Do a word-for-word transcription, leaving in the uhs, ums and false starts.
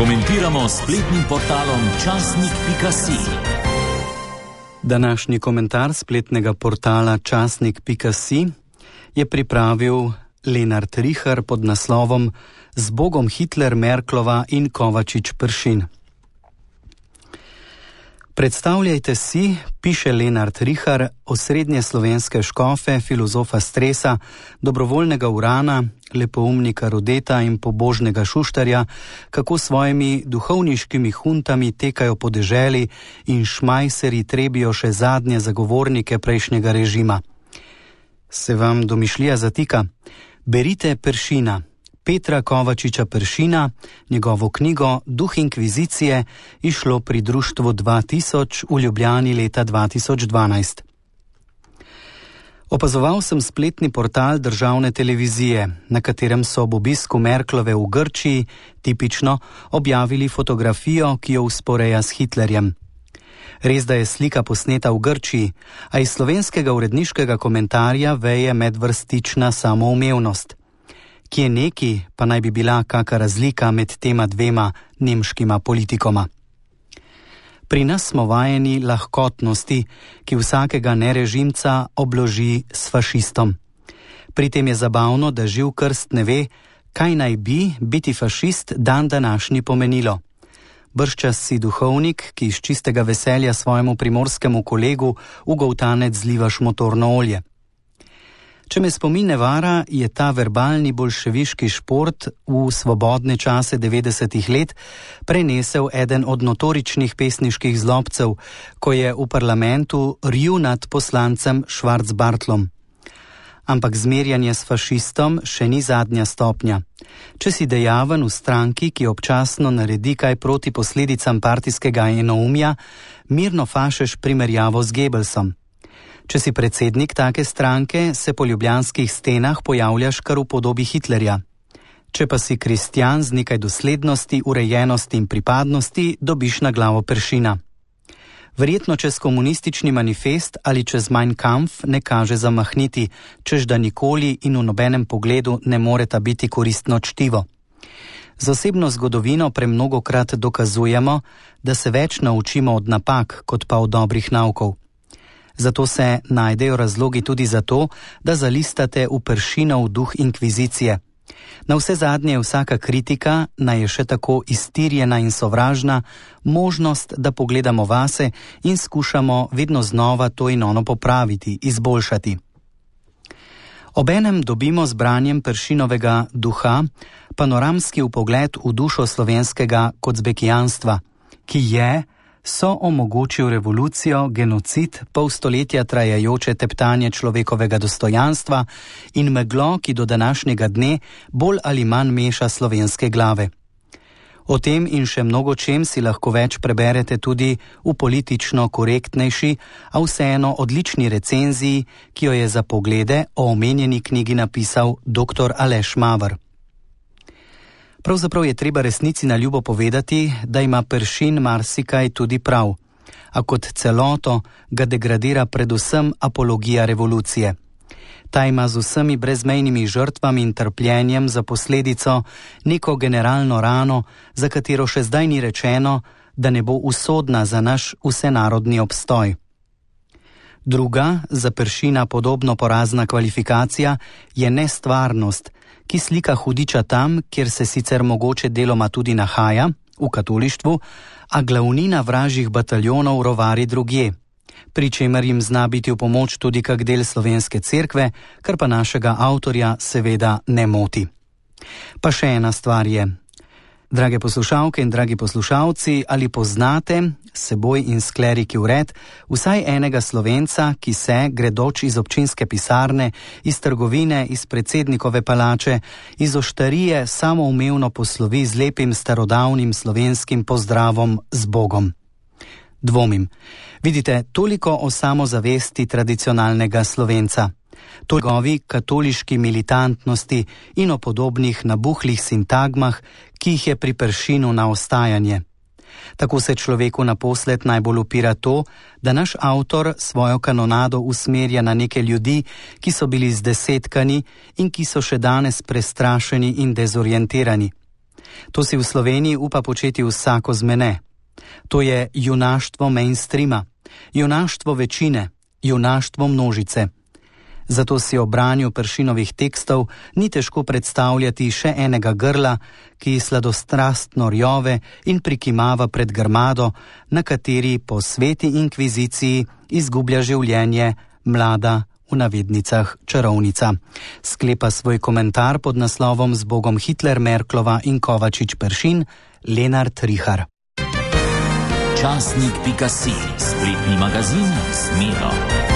Komentiramo spletnim portalom časnik pika si. Današnji komentar spletnega portala časnik pika si je pripravil Lenart Rihar pod naslovom Z Bogom Hitler, Merklova in Kovačič Peršin. Predstavljajte si, piše Lenart Rihar, osrednje slovenske škofe, filozofa stresa, dobrovoljnega Urana, lepoumnika Rodeta in pobožnega Šuštarja, kako svojimi duhovniškimi huntami tekajo po deželi in šmajseri trebijo še zadnje zagovornike prejšnjega režima. Se vam domišljija zatika? Berite Peršina, Petra Kovačiča Peršina, njegovo knjigo Duh inkvizicije, išlo pri društvu dva tisoč v Ljubljani leta dva tisoč dvanajst. Opazoval sem spletni portal državne televizije, na katerem so ob obisku Merklove v Grčiji tipično objavili fotografijo, ki jo vzporeja s Hitlerjem. Res, da je slika posneta v Grčiji, a iz slovenskega uredniškega komentarja veje medvrstična samoumevnost. Kje neki pa naj bi bila kaka razlika med tema dvema nemškima politikoma. Pri nas smo vajeni lahkotnosti, ki vsakega nerežimca obloži s fašistom. Pri tem je zabavno, da živ krst ne ve, kaj naj bi biti fašist dan današnji pomenilo. Bržčas si duhovnik, ki iz čistega veselja svojemu primorskemu kolegu v goltanec zlivaš motorno olje. Če me spomin ne vara, je ta verbalni bolševiški šport v svobodne čase devetdesetih let prenesel eden od notoričnih pesniških zlobcev, ko je v parlamentu rju nad poslancem Schwarzbartlom. Ampak zmerjanje s fašistom še ni zadnja stopnja. Če si dejaven v stranki, ki občasno naredi kaj proti posledicam partijskega enoumja, mirno fašeš primerjavo z Goebbelsom. Če si predsednik take stranke, se po ljubljanskih stenah pojavljaš kar v podobi Hitlerja. Če pa si kristjan z nekaj doslednosti, urejenosti in pripadnosti, dobiš na glavo Peršina. Verjetno čez komunistični manifest ali čez Mein Kampf ne kaže zamahniti, čež da nikoli in v nobenem pogledu ne moreta biti koristno čtivo. Z osebno zgodovino premnogokrat dokazujemo, da se več naučimo od napak, kot pa od dobrih naukov. Zato se najdejo razlogi tudi za to, da zalistate v Peršinov duh inkvizicije. Na vse zadnje je vsaka kritika, naj je še tako iztirjena in sovražna, možnost, da pogledamo vase in skušamo vedno znova to in ono popraviti, izboljšati. Obenem dobimo z branjem Peršinovega duha panoramski vpogled v dušo slovenskega kocbekijanstva, ki je so omogočil revolucijo, genocid, pol stoletja trajajoče teptanje človekovega dostojanstva in meglo, ki do današnjega dne bolj ali manj meša slovenske glave. O tem in še mnogo čem si lahko več preberete tudi v politično korektnejši, a vseeno odlični recenziji, ki jo je za poglede o omenjeni knjigi napisal doktor Aleš Maver. Pravzaprav je treba resnici na ljubo povedati, da ima Peršin marsikaj tudi prav, a kot celoto ga degradira predvsem apologija revolucije. Ta ima z vsemi brezmejnimi žrtvami in trpljenjem za posledico neko generalno rano, za katero še zdaj ni rečeno, da ne bo usodna za naš vsenarodni obstoj. Druga, za Peršina podobno porazna kvalifikacija, je nestvarnost, ki slika hudiča tam, kjer se sicer mogoče deloma tudi nahaja, v katolištvu, a glavnina vražjih bataljonov rovari drugje, pri čemer jim zna biti v pomoč tudi kak del slovenske cerkve, kar pa našega avtorja seveda ne moti. Pa še ena stvar je. Drage poslušalke in dragi poslušalci, ali poznate, seboj in skleriki vred, vsaj enega Slovenca, ki se, gredoč iz občinske pisarne, iz trgovine, iz predsednikove palače, iz oštarije samoumevno poslovi z lepim starodavnim slovenskim pozdravom z Bogom? Dvomim. Vidite, toliko o samozavesti tradicionalnega Slovenca, to njegovi katoliški militantnosti in o podobnih nabuhlih sintagmah, ki jih je pri Peršinu na ostajanje. Tako se človeku naposled najbolj upira to, da naš avtor svojo kanonado usmerja na neke ljudi, ki so bili zdesetkani in ki so še danes prestrašeni in dezorientirani. To si v Sloveniji upa početi vsako zmene. To je junaštvo mainstreama, junaštvo večine, junaštvo množice. Zato si o branju Peršinovih tekstov ni težko predstavljati še enega grla, ki sladostrastno rjove in prikimava pred grmado, na kateri po sveti inkviziciji izgublja življenje mlada, v navednicah, čarovnica. Sklepa svoj komentar pod naslovom Z Bogom Hitler, Merklova in Kovačič Peršin Lenart Rihar. Časnik pika si, spletni magazin Smero.